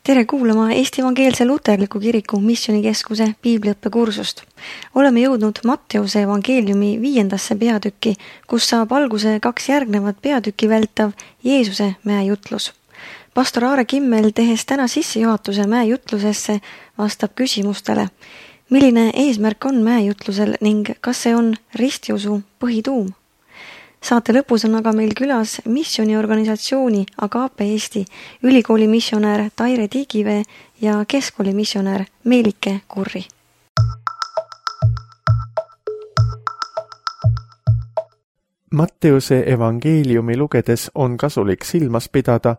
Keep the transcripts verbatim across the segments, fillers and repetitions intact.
Tere kuulama Eesti Evangeelse Luterliku Kiriku Missioonikeskuse piibliõppekursust. Oleme jõudnud Matteuse evangeeliumi viiendasse peatükki, kus saab alguse kaks järgnevat peatükki vältav Jeesuse mäejutlus. Pastor Aare Kimmel, tehes täna sissejuhatuse mäejutlusesse, vastab küsimustele. Milline eesmärk on mäejutlusel ning kas see on ristiusu põhituum? Saate lõpus on aga meil külas missiooniorganisatsiooni Agape Eesti, ülikooli missionär Taire Tiigivee ja keskkooli missionär Meelike Kurri. Matteuse evangeeliumi lugedes on kasulik silmas pidada,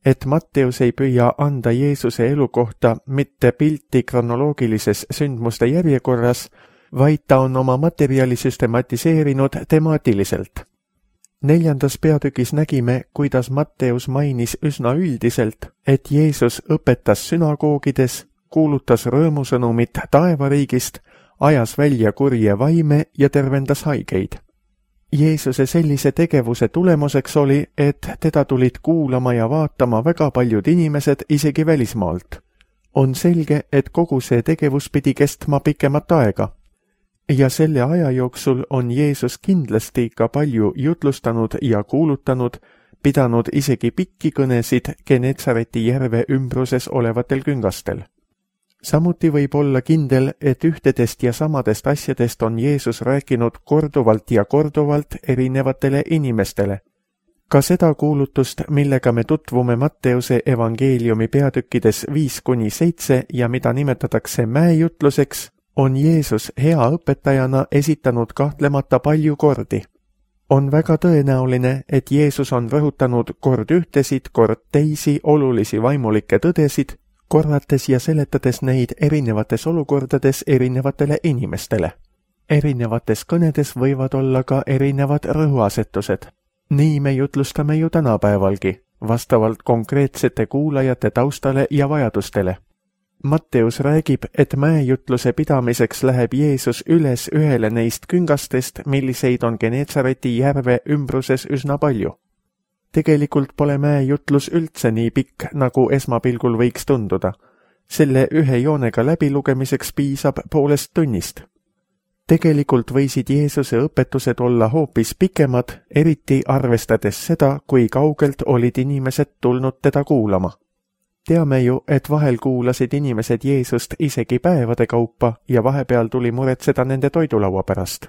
et Matteus ei püüa anda Jeesuse elu kohta mitte pilti kronoloogilises sündmuste järjekorras, vaid ta on oma materjali süstematiseerinud temaatiliselt. Neljandas peatükis nägime, kuidas Matteus mainis üsna üldiselt, et Jeesus õpetas sünagoogides, kuulutas rõõmusõnumit taevariigist, ajas välja kurje vaime ja tervendas haigeid. Jeesuse sellise tegevuse tulemuseks oli, et teda tulid kuulama ja vaatama väga paljud inimesed isegi välismaalt. On selge, et kogu see tegevus pidi kestma pikemat aega. Ja selle aja jooksul on Jeesus kindlasti ka palju jutlustanud ja kuulutanud, pidanud isegi pikki kõnesid Genetsareti järve ümbruses olevatel küngastel. Samuti võib olla kindel, et ühtedest ja samadest asjadest on Jeesus rääkinud korduvalt ja korduvalt erinevatele inimestele. Ka seda kuulutust, millega me tutvume Matteuse evangeeliumi peatükkides viis kuni seitse ja mida nimetatakse mäejutluseks, on Jeesus hea õpetajana esitanud kahtlemata palju kordi. On väga tõenäoline, et Jeesus on rõhutanud kord ühtesid, kord teisi olulisi vaimulikke tõdesid, korrates ja seletades neid erinevates olukordades erinevatele inimestele. Erinevates kõnedes võivad olla ka erinevad rõhuasetused. Nii me jutlustame ju tänapäevalgi, vastavalt konkreetsete kuulajate taustale ja vajadustele. Matteus räägib, et mäejutluse pidamiseks läheb Jeesus üles ühele neist küngastest, milliseid on Genetsareti järve ümbruses üsna palju. Tegelikult pole mäejutlus üldse nii pikk, nagu esmapilgul võiks tunduda. Selle ühe joonega läbilugemiseks piisab poolest tunnist. Tegelikult võisid Jeesuse õpetused olla hoopis pikemad, eriti arvestades seda, kui kaugelt olid inimesed tulnud teda kuulama. Teame ju, et vahel kuulasid inimesed Jeesust isegi päevade kaupa ja vahepeal tuli muretseda nende toidulaua pärast.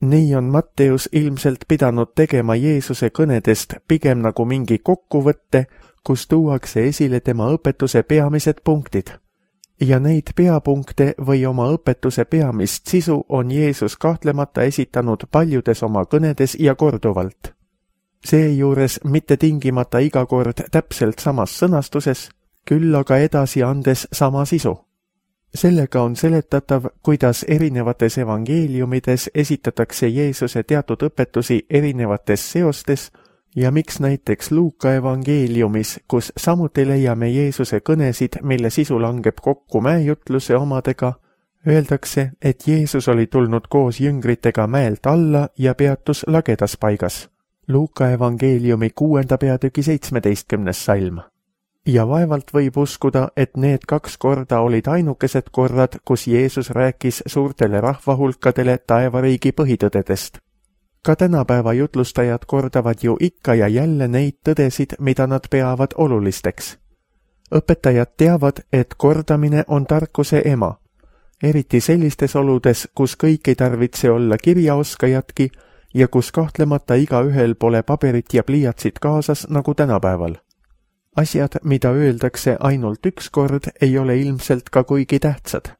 Nii on Matteus ilmselt pidanud tegema Jeesuse kõnedest pigem nagu mingi kokkuvõtte, kus tuuakse esile tema õpetuse peamised punktid. Ja neid peapunkte või oma õpetuse peamist sisu on Jeesus kahtlemata esitanud paljudes oma kõnedes ja korduvalt. Seejuures mitte tingimata iga kord täpselt samas sõnastuses, küll aga edasi andes sama sisu. Sellega on seletatav, kuidas erinevates evangeeliumides esitatakse Jeesuse teatud õpetusi erinevates seostes ja miks näiteks Luuka evangeeliumis, kus samuti leiame Jeesuse kõnesid, mille sisu langeb kokku mäejutluse omadega, öeldakse, et Jeesus oli tulnud koos jüngritega mäelt alla ja peatus lagedas paigas. Luuka evangeeliumi kuuenda peatüki seitsmeteistkümnes salm. Ja vaevalt võib uskuda, et need kaks korda olid ainukesed korrad, kus Jeesus rääkis suurtele rahvahulkadele taevariigi põhitõdedest. Ka tänapäeva jutlustajad kordavad ju ikka ja jälle neid tõdesid, mida nad peavad olulisteks. Õpetajad teavad, et kordamine on tarkuse ema, eriti sellistes oludes, kus kõik ei tarvitse olla kirjaoskajatki ja kus kahtlemata igaühel pole paberit ja pliiatsit kaasas nagu tänapäeval. Asjad, mida öeldakse ainult üks kord, ei ole ilmselt ka kuigi tähtsad.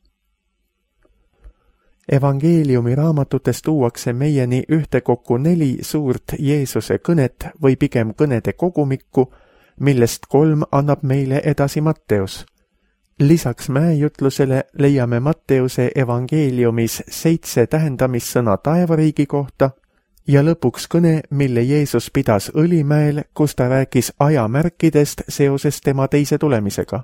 Evangeeliumi raamatutes tuuakse meieni ühtekokku neli suurt Jeesuse kõnet või pigem kõnede kogumikku, millest kolm annab meile edasi Matteus. Lisaks mäejutlusele leiame Matteuse evangeeliumis seitse tähendamissõna taevariigi kohta, ja lõpuks kõne, mille Jeesus pidas Õlimäel, kus ta rääkis ajamärkidest seoses tema teise tulemisega.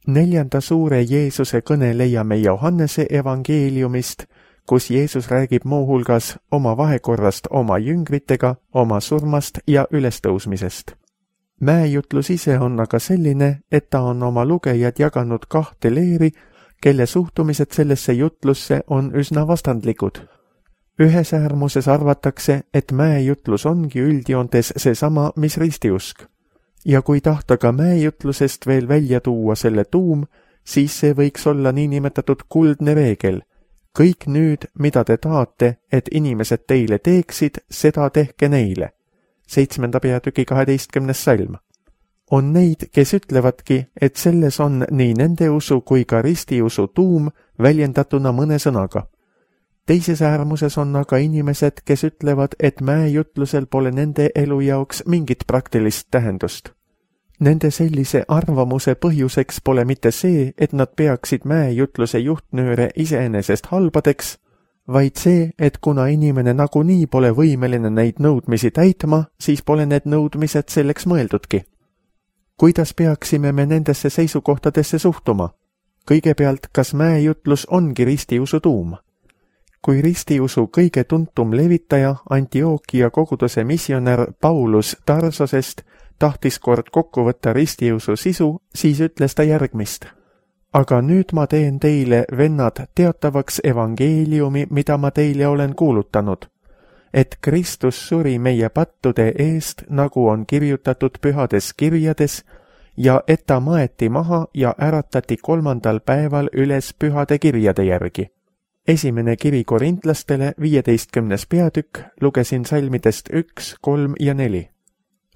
Neljanda suure Jeesuse kõne leiame Johannese evangeeliumist, kus Jeesus räägib muuhulgas oma vahekorrast oma jüngritega, oma surmast ja ülestõusmisest. Mäejutlus ise on aga selline, et ta on oma lugejad jaganud kahte leeri, kelle suhtumised sellesse jutlusse on üsna vastandlikud. Ühes äärmuses arvatakse, et mäejutlus ongi üldjoontes seesama, mis ristiusk. Ja kui tahta ka mäejutlusest veel välja tuua selle tuum, siis see võiks olla niinimetatud kuldne reegel. Kõik nüüd, mida te tahate, et inimesed teile teeksid, seda tehke neile. Seitsmenda peatüki kaheteistkümnes salm. On neid, kes ütlevadki, et selles on nii nende usu kui ka ristiusu tuum väljendatuna mõne sõnaga. Teises äärmuses on aga inimesed, kes ütlevad, et mäejutlusel pole nende elu jaoks mingit praktilist tähendust. Nende sellise arvamuse põhjuseks pole mitte see, et nad peaksid mäejutluse juhtnööre iseenesest halbadeks, vaid see, et kuna inimene nagunii pole võimeline neid nõudmisi täitma, siis pole need nõudmised selleks mõeldudki. Kuidas peaksime me nendesse seisukohtadesse suhtuma? Kõigepealt, kas mäejutlus ongi ristiusu tuum? Kui ristiusu kõige tuntum levitaja, Antiookia koguduse missionär Paulus Tarsosest tahtis kord kokku võtta ristiusu sisu, siis ütles ta järgmist. Aga nüüd ma teen teile, vennad, teatavaks evangeeliumi, mida ma teile olen kuulutanud, et Kristus suri meie pattude eest, nagu on kirjutatud pühades kirjades, ja et ta maeti maha ja äratati kolmandal päeval üles pühade kirjade järgi. Esimene kiri korintlastele, viieteistkümnes peatükk, lugesin salmidest üks, kolm ja neli.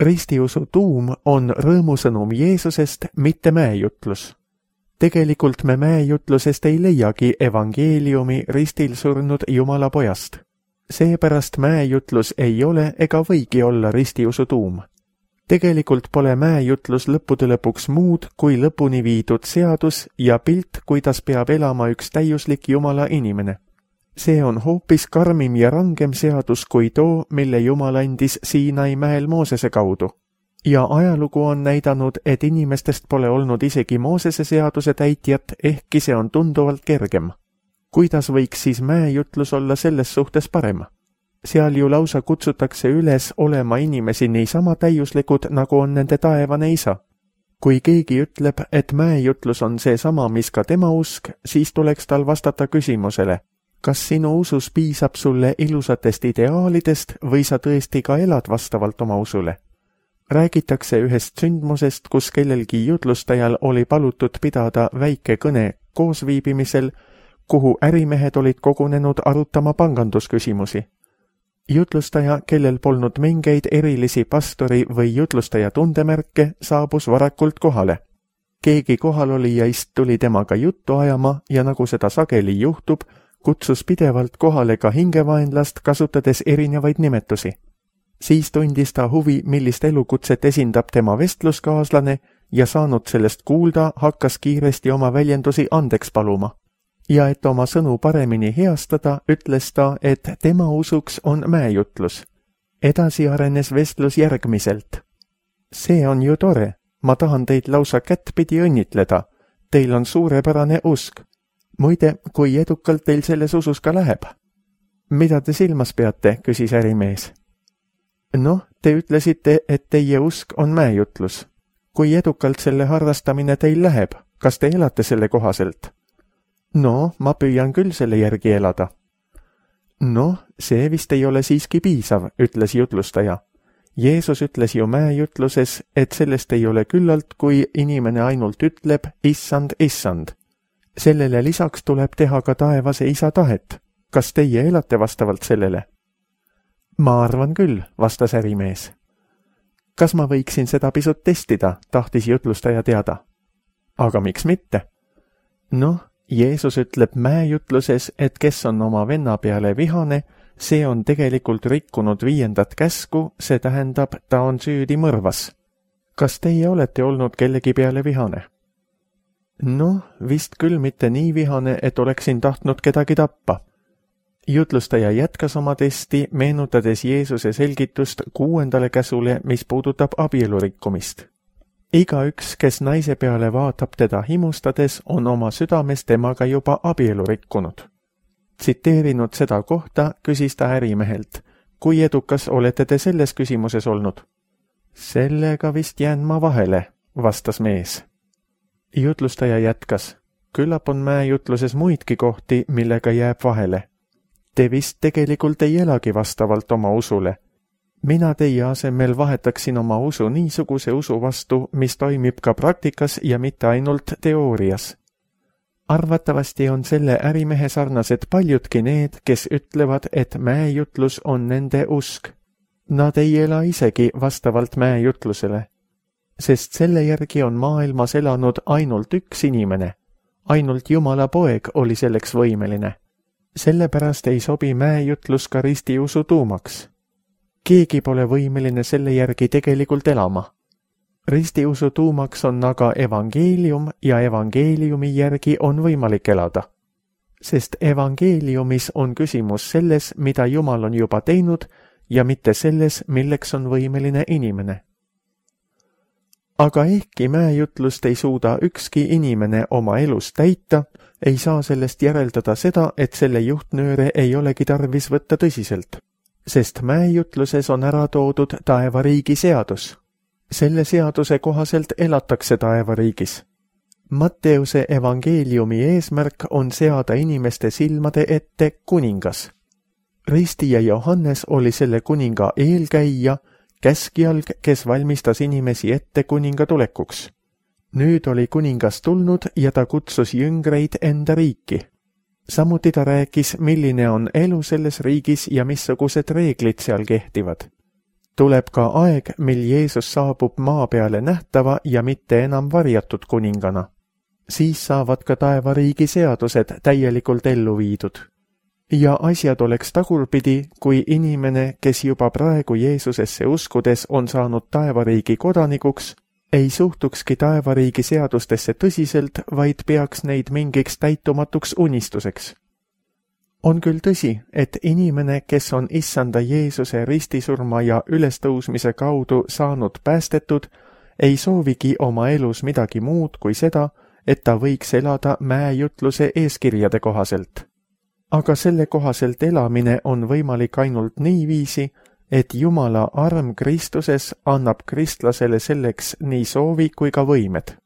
Ristiusu tuum on rõõmusõnum Jeesusest, mitte mäejutlus. Tegelikult me mäejutlusest ei leiagi evangeeliumi ristil surnud Jumala pojast. Seepärast mäejutlus ei ole ega võigi olla ristiusu tuum. Tegelikult pole mäejutlus lõppude lõpuks muud kui lõpuni viidud seadus ja pilt, kuidas peab elama üks täiuslik Jumala inimene. See on hoopis karmim ja rangem seadus kui too, mille Jumal andis Siinai mäel Moosese kaudu. Ja ajalugu on näidanud, et inimestest pole olnud isegi Moosese seaduse täitjat, ehkki see on tunduvalt kergem. Kuidas võiks siis mäejutlus olla selles suhtes parem? Seal ju lausa kutsutakse üles olema inimesi niisama täiuslikud, nagu on nende taevane isa. Kui keegi ütleb, et mäejutlus on see sama, mis ka tema usk, siis tuleks tal vastata küsimusele, kas sinu usus piisab sulle ilusatest ideaalidest või sa tõesti ka elad vastavalt oma usule? Räägitakse ühest sündmusest, kus kellelgi jutlustajal oli palutud pidada väike kõne koosviibimisel, kuhu ärimehed olid kogunenud arutama pangandusküsimusi. Jutlustaja, kellel polnud mingeid erilisi pastori või jutlustaja tundemärke, saabus varakult kohale. Keegi kohalolijast tuli temaga juttu ajama ja nagu seda sageli juhtub, kutsus pidevalt kohale ka hingevaenlast, kasutades erinevaid nimetusi. Siis tundis ta huvi, millist elukutset esindab tema vestluskaaslane ja saanud sellest kuulda, hakkas kiiresti oma väljendusi andeks paluma. Ja et oma sõnu paremini heastada, ütles ta, et tema usuks on mäejutlus. Edasi arenes vestlus järgmiselt. See on ju tore, ma tahan teid lausa kättpidi õnnitleda. Teil on suurepärane usk. Muide, kui edukalt teil selles usus ka läheb? Mida te silmas peate, küsis ärimees. Noh, te ütlesite, et teie usk on mäejutlus. Kui edukalt selle harrastamine teil läheb, kas te elate selle kohaselt? No, ma püüan küll selle järgi elada. No, see vist ei ole siiski piisav, ütles jutlustaja. Jeesus ütles ju mäejutluses, et sellest ei ole küllalt, kui inimene ainult ütleb issand, issand. Sellele lisaks tuleb teha ka taevase isa tahet. Kas teie elate vastavalt sellele? Ma arvan küll, vastas ärimees. Kas ma võiksin seda pisut testida, tahtis jutlustaja teada. Aga miks mitte? Noh, Jeesus ütleb mäejutluses, et kes on oma venna peale vihane, see on tegelikult rikkunud viiendat käsku, see tähendab, ta on süüdi mõrvas. Kas teie olete olnud kellegi peale vihane? Noh, vist küll mitte nii vihane, et oleksin tahtnud kedagi tappa. Jutlustaja jätkas oma testi, meenutades Jeesuse selgitust kuuendale käsule, mis puudutab abielurikkumist. Igaüks, kes naise peale vaatab teda himustades, on oma südames temaga juba abielu rikkunud. Tsiteerinud seda kohta, küsis ta ärimehelt, kui edukas olete te selles küsimuses olnud? Sellega vist jään ma vahele, vastas mees. Jutlustaja jätkas. Küllap on mäejutluses muidki kohti, millega jääb vahele. Te vist tegelikult ei elagi vastavalt oma usule. Mina teie asemel vahetaksin oma usu niisuguse usu vastu, mis toimib ka praktikas ja mitte ainult teoorias. Arvatavasti on selle ärimehe sarnased paljudki need, kes ütlevad, et mäejutlus on nende usk. Nad ei ela isegi vastavalt mäejutlusele, sest selle järgi on maailmas elanud ainult üks inimene. Ainult Jumala poeg oli selleks võimeline. Sellepärast ei sobi mäejutlus ka ristiusu tuumaks. Keegi pole võimeline selle järgi tegelikult elama. Ristiusu tuumaks on aga evangeelium ja evangeeliumi järgi on võimalik elada. Sest evangeeliumis on küsimus selles, mida Jumal on juba teinud ja mitte selles, milleks on võimeline inimene. Aga ehkki mäejutlust ei suuda ükski inimene oma elus täita, ei saa sellest järeldada seda, et selle juhtnööre ei olegi tarvis võtta tõsiselt, sest mäejutluses on ära toodud taevariigi seadus. Selle seaduse kohaselt elatakse taevariigis. Matteuse evangeeliumi eesmärk on seada inimeste silmade ette kuningas. Risti ja Johannes oli selle kuninga eelkäija, käskjalg, kes valmistas inimesi ette kuninga tulekuks. Nüüd oli kuningas tulnud ja ta kutsus jüngreid enda riiki. Samuti ta rääkis, milline on elu selles riigis ja missugused reeglid seal kehtivad. Tuleb ka aeg, mil Jeesus saabub maa peale nähtava ja mitte enam varjatud kuningana. Siis saavad ka taevariigi seadused täielikult ellu viidud. Ja asjad oleks tagurpidi, kui inimene, kes juba praegu Jeesusesse uskudes on saanud taevariigi kodanikuks, ei suhtukski taevariigi seadustesse tõsiselt, vaid peaks neid mingiks täitumatuks unistuseks. On küll tõsi, et inimene, kes on issanda Jeesuse ristisurma ja ülestõusmise kaudu saanud päästetud, ei soovigi oma elus midagi muud kui seda, et ta võiks elada mäejutluse eeskirjade kohaselt. Aga selle kohaselt elamine on võimalik ainult niiviisi, et Jumala arm Kristuses annab kristlasele selleks nii soovi kui ka võimed.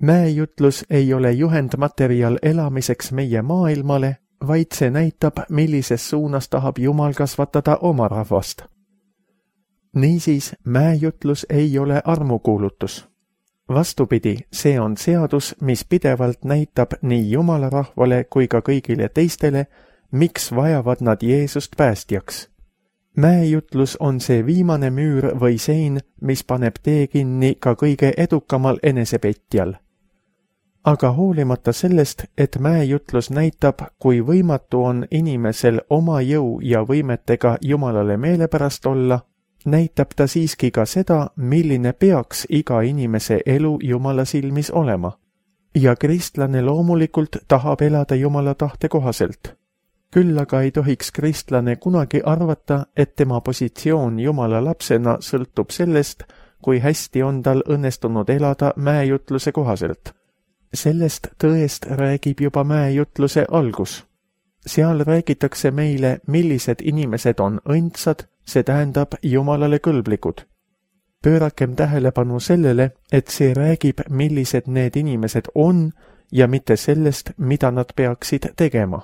Mäejutlus ei ole juhendmaterjal elamiseks meie maailmale, vaid see näitab, millises suunas tahab Jumal kasvatada oma rahvast. Niisiis, mäejutlus ei ole armukuulutus. Vastupidi, see on seadus, mis pidevalt näitab nii Jumala rahvale kui ka kõigile teistele, miks vajavad nad Jeesust päästjaks. Mäejutlus on see viimane müür või sein, mis paneb tee kinni ka kõige edukamal enesepetjal. Aga hoolimata sellest, et mäejutlus näitab, kui võimatu on inimesel oma jõu ja võimetega Jumalale meelepärast olla, näitab ta siiski ka seda, milline peaks iga inimese elu Jumala silmis olema. Ja kristlane loomulikult tahab elada Jumala tahte kohaselt. Küll aga ei tohiks kristlane kunagi arvata, et tema positsioon Jumala lapsena sõltub sellest, kui hästi on tal õnnestunud elada mäejutluse kohaselt. Sellest tõest räägib juba mäejutluse algus. Seal räägitakse meile, millised inimesed on õndsad, see tähendab Jumalale kõlblikud. Pöörakem tähelepanu sellele, et see räägib, millised need inimesed on ja mitte sellest, mida nad peaksid tegema.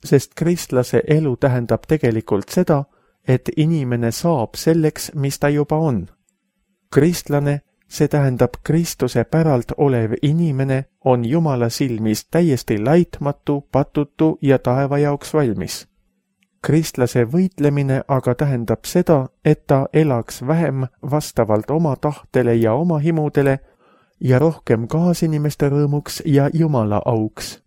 Sest kristlase elu tähendab tegelikult seda, et inimene saab selleks, mis ta juba on. Kristlane, see tähendab Kristuse päralt olev inimene, on Jumala silmis täiesti laitmatu, patutu ja taeva jaoks valmis. Kristlase võitlemine aga tähendab seda, et ta elaks vähem vastavalt oma tahtele ja oma himudele ja rohkem kaasinimeste rõõmuks ja Jumala auks.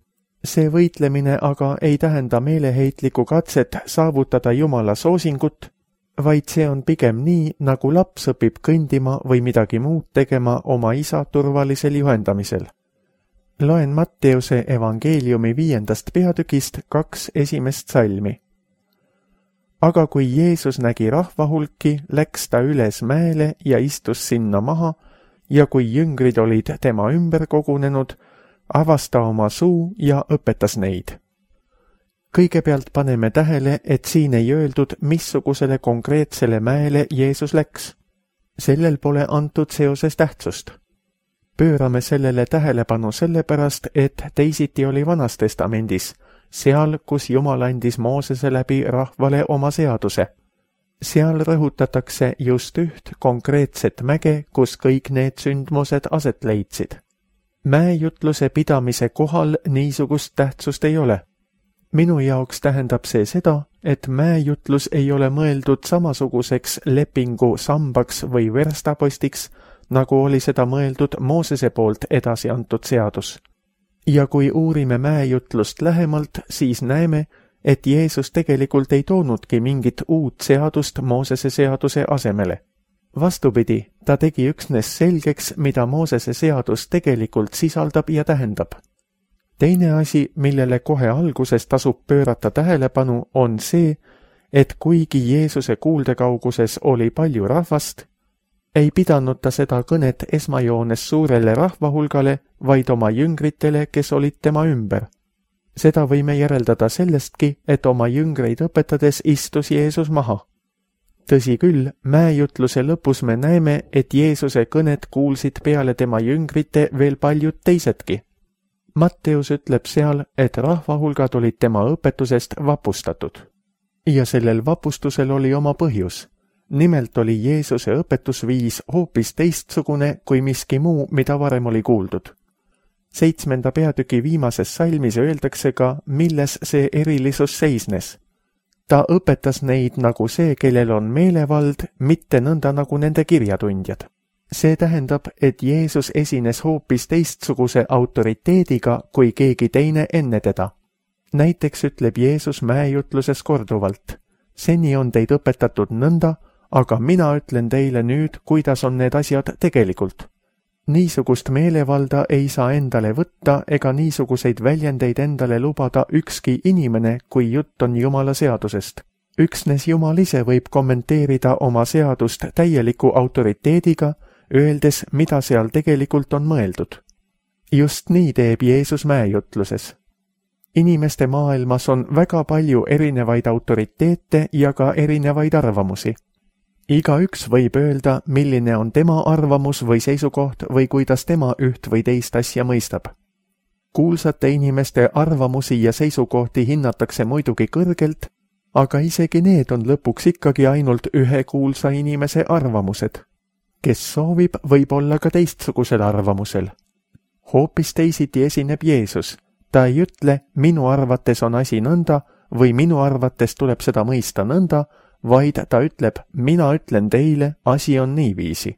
See võitlemine aga ei tähenda meeleheitlikku katset saavutada Jumala soosingut, vaid see on pigem nii, nagu laps õpib kõndima või midagi muud tegema oma isa turvalisel juhendamisel. Loen Matteuse evangeeliumi viiendast peatükist kaks esimest salmi. Aga kui Jeesus nägi rahvahulki, läks ta üles mäele ja istus sinna maha ja kui jüngrid olid tema ümber kogunenud, avas ta oma suu ja õpetas neid. Kõigepealt paneme tähele, et siin ei öeldud, missugusele konkreetsele mäele Jeesus läks. sellel pole antud seoses tähtsust. Pöörame sellele tähelepanu sellepärast, et teisiti oli Vanas testamendis, seal, kus Jumal andis Moosese läbi rahvale oma seaduse. Seal rõhutatakse just üht konkreetset mäge, kus kõik need sündmused aset leidsid. Mäejutluse pidamise kohal niisugust tähtsust ei ole. Minu jaoks tähendab see seda, et mäejutlus ei ole mõeldud samasuguseks lepingu sambaks või verstapostiks, nagu oli seda mõeldud Moosese poolt edasi antud seadus. Ja kui uurime mäejutlust lähemalt, siis näeme, et Jeesus tegelikult ei toonudki mingit uut seadust Moosese seaduse asemele. Vastupidi, ta tegi üksnes selgeks, mida Moosese seadus tegelikult sisaldab ja tähendab. Teine asi, millele kohe alguses tasub pöörata tähelepanu, on see, et kuigi Jeesuse kuuldekauguses oli palju rahvast, ei pidanud ta seda kõnet esmajoones suurele rahvahulgale, vaid oma jüngritele, kes olid tema ümber. Seda võime järeldada sellestki, et oma jüngreid õpetades istus Jeesus maha. Tõsi küll, mäejutluse lõpus me näeme, et Jeesuse kõnet kuulsid peale tema jüngrite veel paljud teisedki. Matteus ütleb seal, et rahvahulgad olid tema õpetusest vapustatud. Ja sellel vapustusel oli oma põhjus. Nimelt oli Jeesuse õpetusviis hoopis teistsugune kui miski muu, mida varem oli kuuldud. Seitsmenda peatüki viimases salmis öeldakse ka, milles see erilisus seisnes. Ta õpetas neid nagu see, kellel on meelevald, mitte nõnda nagu nende kirjatundjad. See tähendab, et Jeesus esines hoopis teistsuguse autoriteediga kui keegi teine enne teda. Näiteks ütleb Jeesus mäejutluses korduvalt, seni on teid õpetatud nõnda, aga mina ütlen teile nüüd, kuidas on need asjad tegelikult. Niisugust meelevalda ei saa endale võtta ega niisuguseid väljendeid endale lubada ükski inimene, kui jutt on Jumala seadusest. Üksnes Jumal ise võib kommenteerida oma seadust täieliku autoriteediga, öeldes, mida seal tegelikult on mõeldud. Just nii teeb Jeesus mäejutluses. Inimeste maailmas on väga palju erinevaid autoriteete ja ka erinevaid arvamusi. Igaüks võib öelda, milline on tema arvamus või seisukoht või kuidas tema üht või teist asja mõistab. Kuulsate inimeste arvamusi ja seisukohti hinnatakse muidugi kõrgelt, aga isegi need on lõpuks ikkagi ainult ühe kuulsa inimese arvamused. Kes soovib, võib olla ka teistsugusel arvamusel. Hoopis teisiti esineb Jeesus. Ta ei ütle, minu arvates on asi nõnda või minu arvates tuleb seda mõista nõnda, vaid ta ütleb, mina ütlen teile, asi on niiviisi.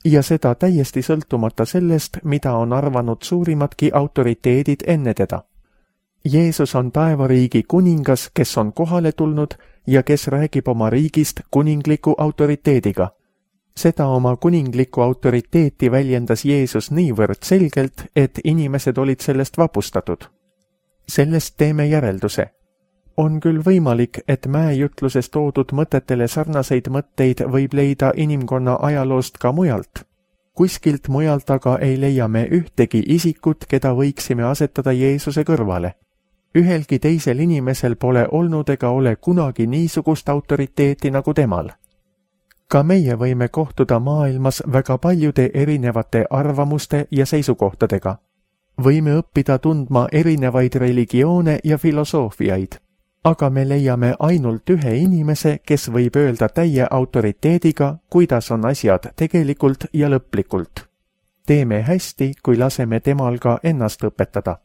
Ja seda täiesti sõltumata sellest, mida on arvanud suurimadki autoriteedid enne teda. Jeesus on taevariigi kuningas, kes on kohale tulnud ja kes räägib oma riigist kuningliku autoriteediga. Seda oma kuninglikku autoriteeti väljendas Jeesus niivõrd selgelt, et inimesed olid sellest vapustatud. Sellest teeme järelduse. On küll võimalik, et mäejutluses toodud mõtetele sarnaseid mõtteid võib leida inimkonna ajaloost ka mujalt. Kuskilt mujalt aga ei leia me ühtegi isikut, keda võiksime asetada Jeesuse kõrvale. Ühelgi teisel inimesel pole olnud ega ole kunagi niisugust autoriteeti nagu temal. Ka meie võime kohtuda maailmas väga paljude erinevate arvamuste ja seisukohtadega. Võime õppida tundma erinevaid religioone ja filosoofiaid, aga me leiame ainult ühe inimese, kes võib öelda täie autoriteediga, kuidas on asjad tegelikult ja lõplikult. Teeme hästi, kui laseme temal ka ennast õpetada.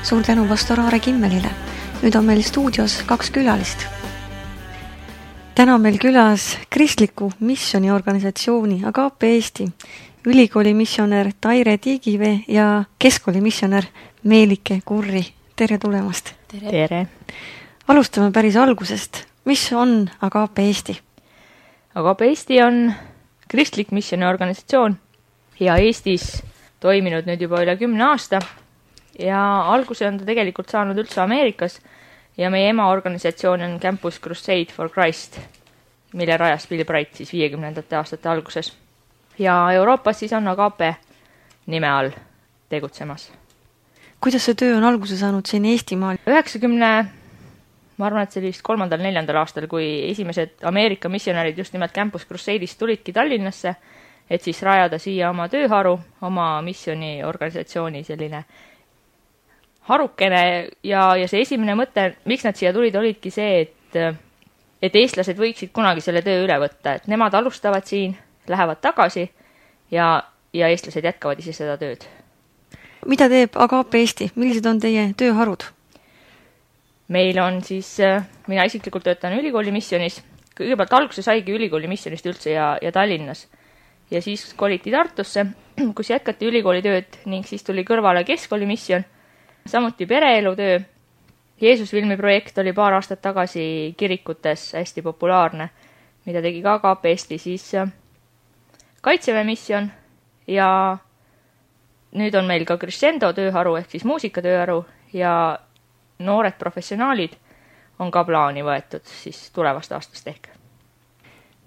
Suur tänu pastor Aare Kimmelile. Nüüd on meil stuudios kaks külalist. Täna on meil külas kristliku missiooniorganisatsiooni Agape Eesti, ülikooli missionär Taire Tiigivee ja keskkooli missionär Meelike Kurri. Tere tulemast! Tere! Tere. Alustame päris algusest. Mis on Agape Eesti? Agape Eesti on kristlik missiooniorganisatsioon ja Eestis toiminud nüüd juba üle kümne aasta. Ja alguse on ta tegelikult saanud üldse Ameerikas ja meie ema organisatsioon on Campus Crusade for Christ, mille rajas Bill Bright siis viiekümnendate aastate alguses. ja Euroopas siis on Agape nime all tegutsemas. Kuidas see töö on alguse saanud siin Eestimaal? üheksakümne, ma arvan, et see oli vist kolmandal, neljandal aastal, kui esimesed Ameerika missionärid just nimelt Campus Crusade'ist tulidki Tallinnasse, et siis rajada siia oma tööharu, oma missioniorganisatsiooni selline harukene ja, ja see esimene mõte, miks nad siia tulid, olidki see, et, et eestlased võiksid kunagi selle töö üle võtta, et nemad alustavad siin, lähevad tagasi ja, ja eestlased jätkavad ise seda tööd. Mida teeb Agape Eesti? Millised on teie tööharud? Meil on siis, mina isiklikult töötan ülikooli missionis. Kõigepealt alguse saigi ülikooli missionist üldse ja, ja Tallinnas. Ja siis koliti Tartusse, kus jätkati ülikooli tööd ning siis tuli kõrvale keskkooli mission. Samuti pereelutöö. Jeesusfilmi projekt oli paar aastat tagasi kirikutes hästi populaarne, mida tegi ka Agape Eesti, siis Kaitseväe mission ja nüüd on meil ka crescendo tööharu ehk siis muusikatööharu ja noored professionaalid on ka plaani võetud siis tulevast aastast ehk.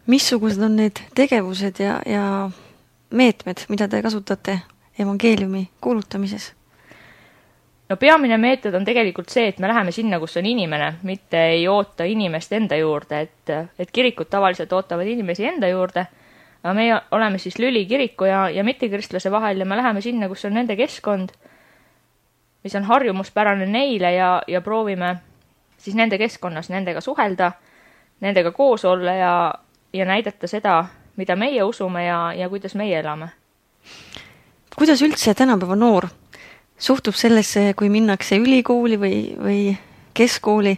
Missugused on need tegevused ja, ja meetmed, mida te kasutate evangeeliumi kuulutamises? No peamine meetod on tegelikult see, et me läheme sinna, kus on inimene, mitte ei oota inimest enda juurde, et, et kirikud tavaliselt ootavad inimesi enda juurde, aga me oleme siis lüli kiriku ja, ja mittekristlase vahel ja me läheme sinna, kus on nende keskkond, mis on harjumuspärane neile ja, ja proovime siis nende keskkonnas nendega suhelda, nendega koos olla ja, ja näidata seda, mida meie usume ja, ja kuidas meie elame. Kuidas üldse tänapäeva noor suhtub sellesse, kui minnakse ülikooli või, või keskkooli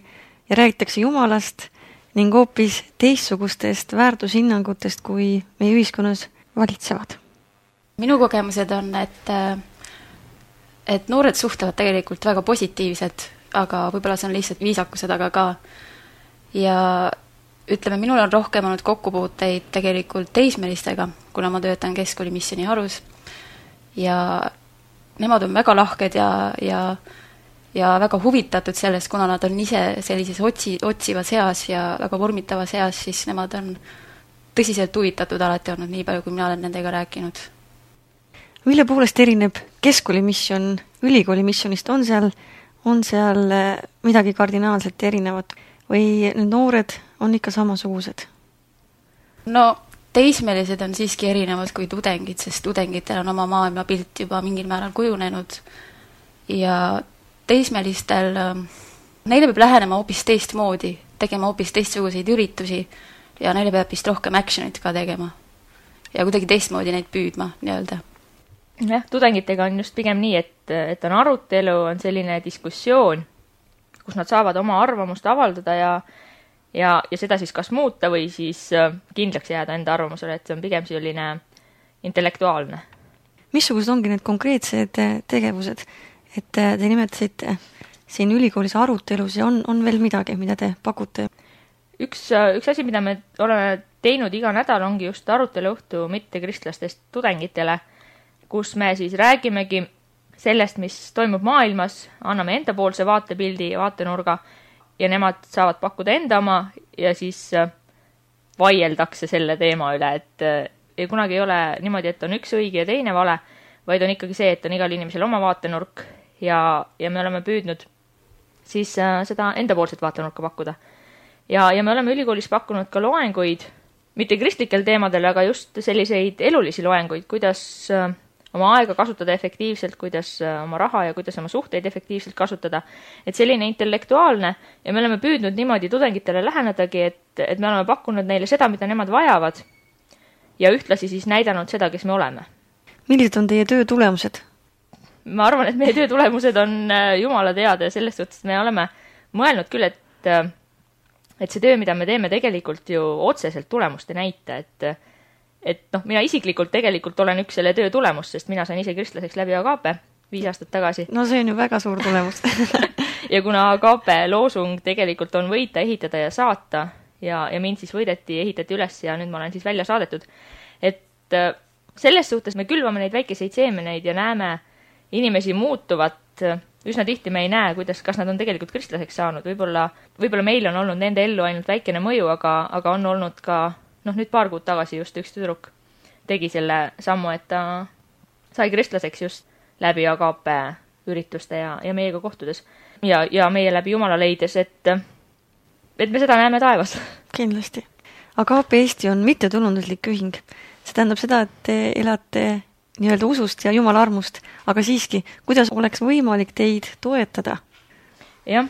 ja räägitakse Jumalast ning hoopis teistsugustest väärtushinnangutest, kui meie ühiskonnas valitsevad? Minu kogemused on, et, et noored suhtlevad tegelikult väga positiivsed, aga võib-olla see on lihtsalt viisakuse taga ka. Ja ütleme, minul on rohkem olnud kokkupuuteid tegelikult teismelistega, kuna ma töötan keskkooli missiooni harus. Ja nemad on väga lahked ja, ja ja väga huvitatud sellest, kuna nad on ise sellises otsi, otsivas eas ja väga vormitavas eas, siis nemad on tõsiselt huvitatud alati olnud, nii palju, kui mina olen nendega rääkinud. Mille poolest erineb keskkooli missioon ülikooli missionist? On seal, on seal midagi kardinaalselt erinevat või need noored on ikka samasugused? No teismelised on siiski erinevad kui tudengid, sest tudengitel on oma maailmapilt juba mingil määral kujunenud ja teismelistel, neile peab lähenema hoopis teistmoodi, tegema hoopis teistsuguseid üritusi ja neile peab vist rohkem actionit ka tegema ja kuidagi teistmoodi neid püüdma nii-öelda. Jah, tudengitega on just pigem nii, et, et on arutelu, on selline diskussioon, kus nad saavad oma arvamust avaldada ja, ja, ja seda siis kas muuta või siis kindlaks jääda enda arvamusele, et see on pigem selline intellektuaalne. Missugused ongi need konkreetsed tegevused? Et te nimetasite siin ülikoolis arutelus ja on, on veel midagi, mida te pakute? Üks, üks asi, mida me oleme teinud iga nädal, ongi just aruteluõhtu mittekristlastest tudengitele, kus me siis räägimegi sellest, mis toimub maailmas, anname endapoolse vaatepildi ja vaatenurga ja nemad saavad pakkuda enda oma ja siis vaieldakse selle teema üle, et ei kunagi ei ole niimoodi, et on üks õige ja teine vale, vaid on ikkagi see, et on igal inimesel oma vaatenurk ja, ja me oleme püüdnud siis äh, seda endapoolset vaatenurka pakkuda. Ja, ja me oleme ülikoolis pakkunud ka loenguid, mitte kristlikel teemadel, aga just selliseid elulisi loenguid, kuidas äh, oma aega kasutada efektiivselt, kuidas äh, oma raha ja kuidas oma suhteid efektiivselt kasutada. Et selline intellektuaalne ja me oleme püüdnud niimoodi tudengitele lähenedagi, et, et me oleme pakkunud neile seda, mida nemad vajavad ja ühtlasi siis näidanud seda, kes me oleme. Millised on teie töö tulemused? Ma arvan, et meie töö tulemused on Jumala teada ja selles suhtes me oleme mõelnud küll, et, et see töö, mida me teeme, tegelikult ju otseselt tulemust ei näita, et, et noh, mina isiklikult tegelikult olen üks selle töö tulemus, sest mina sain ise kristlaseks läbi Agape viis aastat tagasi. No see on ju väga suur tulemus. Ja kuna Agape loosung tegelikult on võita, ehitada ja saata ja, ja mind siis võideti, ehitati üles ja nüüd ma olen siis välja saadetud, et selles suhtes me külvame neid väikeseid seemeneid ja näeme inimesi muutuvat. Üsna tihti me ei näe, kuidas, kas nad on tegelikult kristlaseks saanud. Võib-olla, võib-olla meil on olnud nende ellu ainult väikene mõju, aga, aga on olnud ka, noh nüüd paar kuud tagasi just üks tüdruk tegi selle sammu, et ta sai kristlaseks just läbi Agape ürituste ja, ja meiega kohtudes. Ja, ja meie läbi Jumala leides, et, et me seda näeme taevas. Kindlasti. Agape Eesti on mittetulunduslik ühing. See tähendab seda, et te elate nii-öelda usust ja Jumala armust, aga siiski, kuidas oleks võimalik teid toetada? Jah,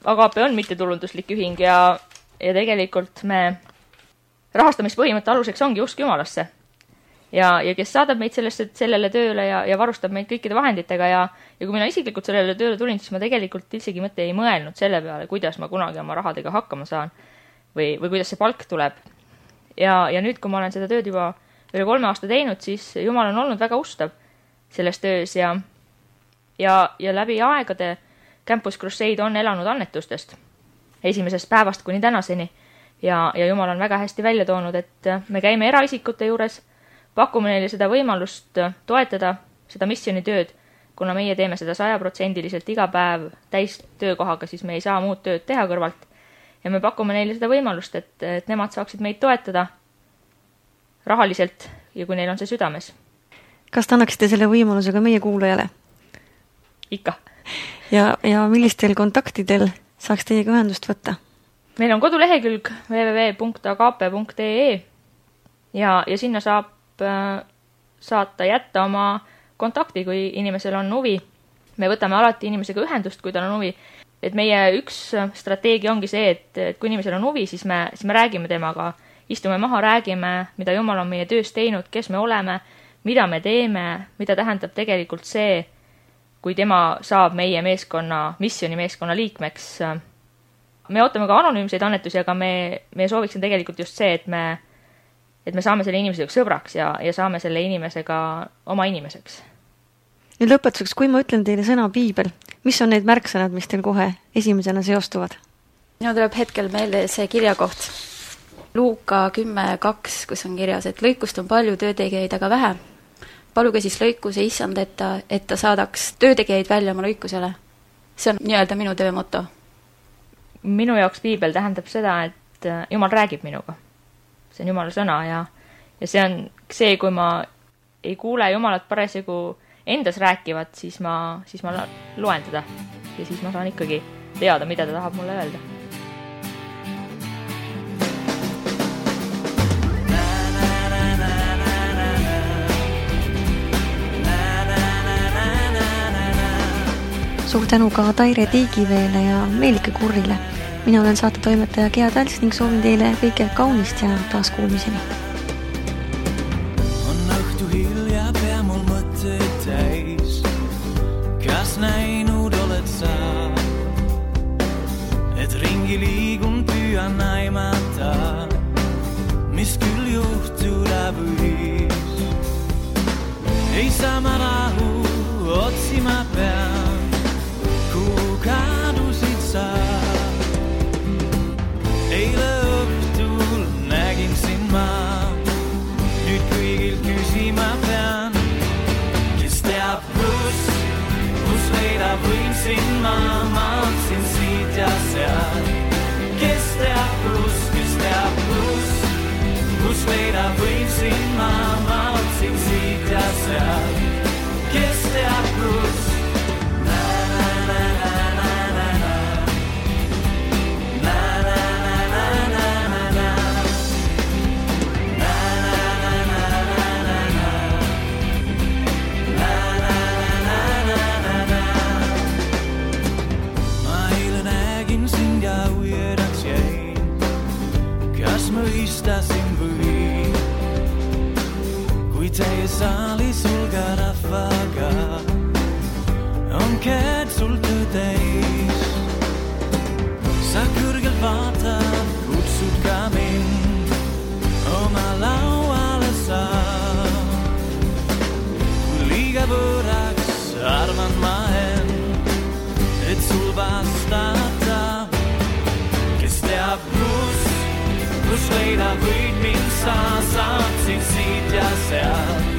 Agape on mittetulunduslik ühing ja, ja tegelikult me rahastamispõhimõtte aluseks ongi usk Jumalasse. Ja, ja kes saadab meid sellesse, sellele tööle ja, ja varustab meid kõikide vahenditega ja, ja kui mina isiklikult sellele tööle tulin, siis ma tegelikult ildsegi mõte ei mõelnud selle peale, kuidas ma kunagi oma rahadega hakkama saan või, või kuidas see palk tuleb. Ja, ja nüüd, kui ma olen seda tööd juba üle kolme aasta teinud, siis Jumal on olnud väga ustav selles töös ja, ja, ja läbi aegade Campus Crusade on elanud annetustest esimesest päevast kuni tänaseni ja, ja Jumal on väga hästi välja toonud, et me käime eraisikute juures, pakume neile seda võimalust toetada seda missionitööd, kuna meie teeme seda sajaprotsendiliselt iga päev täis töökohaga, siis me ei saa muud tööd teha kõrvalt. Ja me pakume neile seda võimalust, et, et nemad saaksid meid toetada rahaliselt ja kui neil on see südames. Kas te annaksite selle võimalusega meie kuulajale? Ikka. Ja, ja millistel kontaktidel saaks teiega ühendust võtta? Meil on kodulehekülg w w w punkt agape punkt e e ja, ja sinna saab saata jätta oma kontakti, kui inimesel on huvi. Me võtame alati inimesega ühendust, kui tal on huvi. Et meie üks strateegia ongi see, et, et kui inimesel on huvi, siis me, siis me räägime temaga, istume maha, räägime, mida Jumal on meie töös teinud, kes me oleme, mida me teeme, mida tähendab tegelikult see, kui tema saab meie meeskonna, missioni meeskonna liikmeks. Me ootame ka anonüümseid annetusi, aga me, me sooviksin tegelikult just see, et me et me saame selle inimesega sõbraks ja, ja saame selle inimesega oma inimeseks. Nüüd lõpetuseks, kui ma ütlen teile sõna piibel, mis on need märksõnad, mis teil kohe esimesena seostuvad? Minu tuleb hetkel meelde see kirjakoht. Luuka kümme kaks, kus on kirjas, et lõikust on palju töötegijaid, aga vähe. Paluge siis lõikuse issand, et ta, et ta saadaks töötegijaid välja oma lõikusele. See on nii-öelda minu töö moto. Minu jaoks piibel tähendab seda, et Jumal räägib minuga. See on Jumala sõna ja, ja see on see, kui ma ei kuule Jumalat parasjagu endas rääkivat, siis ma, siis ma loen teda ja siis ma saan ikkagi teada, mida ta tahab mulle öelda. Suur tänu ka Taire Tiigiveele ja Meelike Kurrile. Mina olen saatetoimetaja Gea Täls ning soovin teile kõike kaunist ja taas kuulmiseni. On õhtu hilja, pea mul mõtteid täis. Kas näinud oled sa, et ringi liigun püüan aimata, mis küll juhtuda võis. Ei saa ma rahu, otsima pean, kuhu kadusid sa. Eile õhtul nägin sind ma, nüüd kõigil küsima pean, kes teab kus, kus leida võin sind ma, ma otsin siit ja seal. Kes teab kus, kes teab kus, kus leida võin sind ma, ma otsin siit ja seal. Kes teab kus. Mõistasin või, kui teie saali sulga rahvaga on käed sul tõdeis. Sa kõrgelt vaatad, kutsud ka mind oma lauale sa. Kui liiga võraks arvan ma end, et sul vastata, kes teab kus, kus leida võid mind sa, saatsid siit ja seal.